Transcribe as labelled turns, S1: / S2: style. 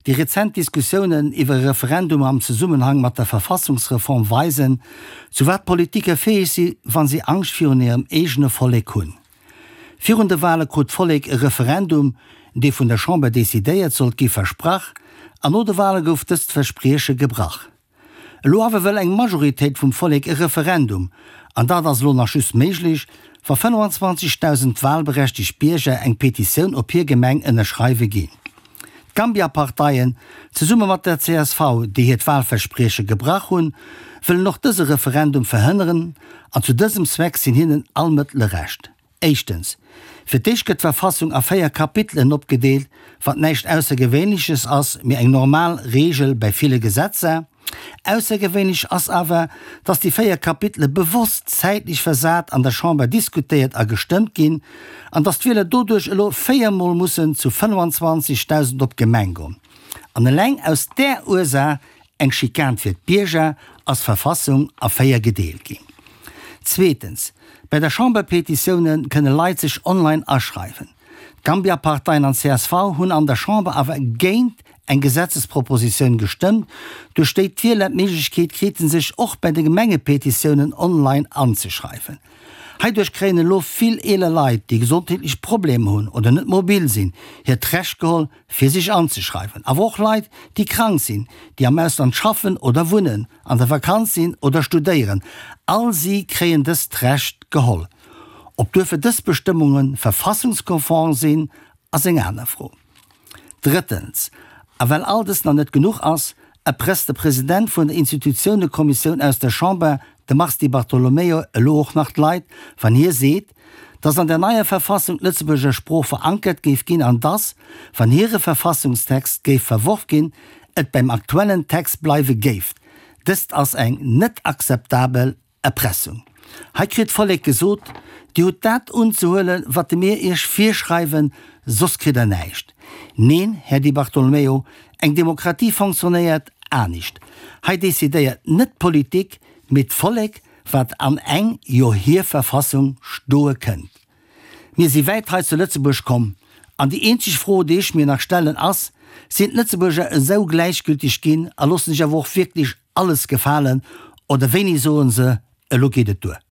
S1: Déi rezent Diskussiounen iwwer e Referendum am Zesummenhang mat der Verfassungsreform weisen, zu wat Politiker fäeg si wa si Angscht virun hirem eegene Vollek hunn. Virun de Wale krut d'Vollek e Referendum, dee vun der Chamber decidéiert sollt gi, versprach, an no de Wale gouf dëst Versprieche gebrach. Elo awer wëll eng Majoritéit vum Vollek e Referendum, an dat ass elo nach just méiglech, wa 25.000 wahlberechtegt Bierger eng Petitioun op hir Gemeng ënnerschreiwe ginn. D'Gambia-Parteien, zesumme mat der csv, déi hiert Wahlversprieche gebrach hunn, wëllen och dëse Referendum verhënneren, an zu dësem Zweck sinn hinnen all Mëttele Recht. Éischtens, Fir d'éischt gëtt d'Verfassung a 4 Kapitelen opgedeelt, wat näischt Aussergewéinleches ass, mee eng normal Reegel bäi ville Gesetzer. Aussergewéinlech ass awer, dass déi 4 Kapitele bewosst zäitlech versat an der Chamber diskutéiert a gestëmmt ginn, an dass d'Wieler doduerch elo 4 Mol mussen zu 25.000 op d'Gemeng goen. An eleng aus där Ursaach Eng Schikan fir d'Bierger, ass d'Verfassung a 4 gedeelt ginn. Zweetens, bei der Chamberpetitioune kënne Leit sech online aschreiwen. D'Gambia-Parteien an csv hunn an der Chamber awer géint eng Gesetzespropositioun gestëmmt, duerch déi d'Wieler d'Méiglechkeet kriten sech och bei de Gemengepetitiounen online anzeschreiwen. Heiduerch kréien elo vill eeler Leit, déi gesondheetlech Problemer hunn oder net mobil sinn, hiert Recht geholl, fir sech anzeschreiwen. Awer och Leit, déi krank sinn, déi am Ausland schaffen oder wunnen, an der Vakanz sinn oder studéieren, all si kréien dëst Recht geholl. Ob duerfir dës Bestëmmunge verfassungskonform sinn, ass eng aner Fro. Drëttens, a well all dëst nach net genuch ass, erpresst de President vun der Institutiounekommissioun aus der Chamber, de Mars Di Bartolomeo, elo och nach d'Leit, wann hie seet, dass an der neier Verfassung d'Lëtzebuerger Sprooch verankert géif ginn an dass, wann hire Verfassungstext géif verworf ginn, et beim aktuellen Text bleiwe géif. Dëst ass eng net akzeptabel Erpressung. Hei kritt d'Vollek gesot, Dir hutt dat unzehuelen, wat mir Iech virschreiwen, soss kritt Der näischt. Neen, Här Di Bartolomeo, eng Demokratie fonctionnéiert anescht. Hei decidéiert net d'Politik, mee d'Vollek, wat an eng, jo hir Verfassung stoe kënnt. Mir si wäit hei zu Lëtzebuerg komm, an déi eenzeg Fro, déi ech mir nach stellen, ass, Sinn d'Lëtzebuerger esou gläichgülteg ginn a loossen sech awer och wierklech alles gefalen, oder wéini soen se, elo geet et duer?